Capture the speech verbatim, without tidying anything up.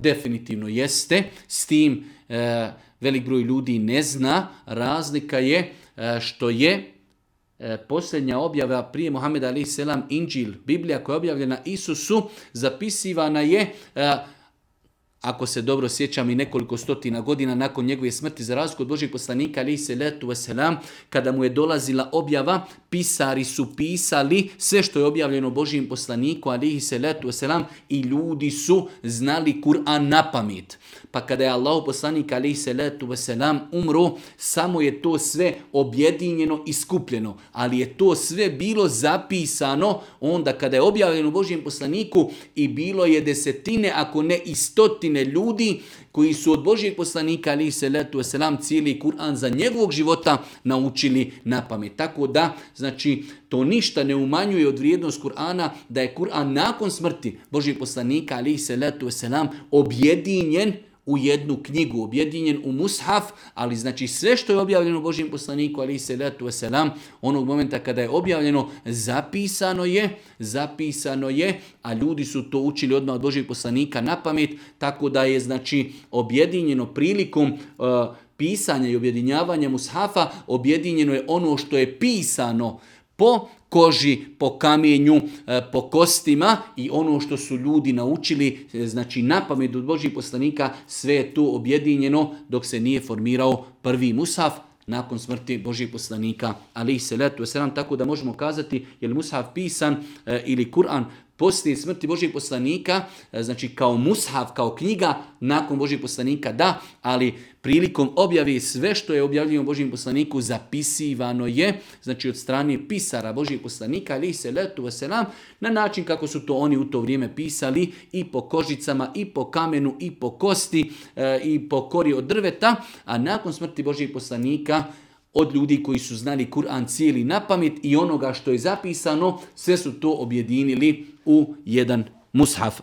definitivno jeste, s tim e, velik broj ljudi ne zna. Razlika je e, što je e, posljednja objava prije Muhameda alejhi selam Inđil, Biblija koja je objavljena Isusu, zapisivana je e, ako se dobro sjećam i nekoliko stotina godina nakon njegove smrti, za razliku od Božih poslanika alejhi selatu vesselam, kada mu je dolazila objava, pisari su pisali sve što je objavljeno Božijim poslaniku alejhi selatu vesselam i ljudi su znali Kur'an na pamet. Pa kada je Allahov poslanik alejhi selatu vesselam umro, samo je to sve objedinjeno i skupljeno, ali je to sve bilo zapisano onda kada je objavljeno Božijem poslaniku i bilo je desetine, ako ne i stotine ljudi koji su od Božijeg poslanika alejhi selatu vesselam cijeli Kur'an za njegovog života naučili na pamet. Tako da, znači, to ništa ne umanjuje od vrijednost Kur'ana, da je Kur'an nakon smrti Božijeg poslanika alejhi selatu vesselam objedinjen u jednu knjigu, objedinjen u mushaf, ali znači sve što je objavljeno Božijem poslaniku alejhi selatu vesselam, onog momenta kada je objavljeno, zapisano je, zapisano je, a ljudi su to učili odmah od Božijeg poslanika na pamet, tako da je znači objedinjeno prilikom uh, pisanja i objedinjavanja mushafa, objedinjeno je ono što je pisano po koži, po kamenju, po kostima i ono što su ljudi naučili, znači na pamet od Božih poslanika, sve je tu objedinjeno dok se nije formirao prvi mushaf nakon smrti Božih poslanika alejhi selatu vesselam. Tako da možemo kazati je li mushaf pisan e, ili Kur'an poslije smrti Božih poslanika, e, znači kao mushaf, kao knjiga nakon Božih poslanika, da, ali prilikom objave sve što je objavljeno Božjem poslaniku zapisivano je, znači od strane pisara Božjih poslanika alejhi selatu vesselam, na način kako su to oni u to vrijeme pisali, i po kožicama, i po kamenu, i po kosti, e, i po kori od drveta, a nakon smrti Božjih poslanika od ljudi koji su znali Kur'an cijeli na pamet i onoga što je zapisano, sve su to objedinili u jedan mushaf.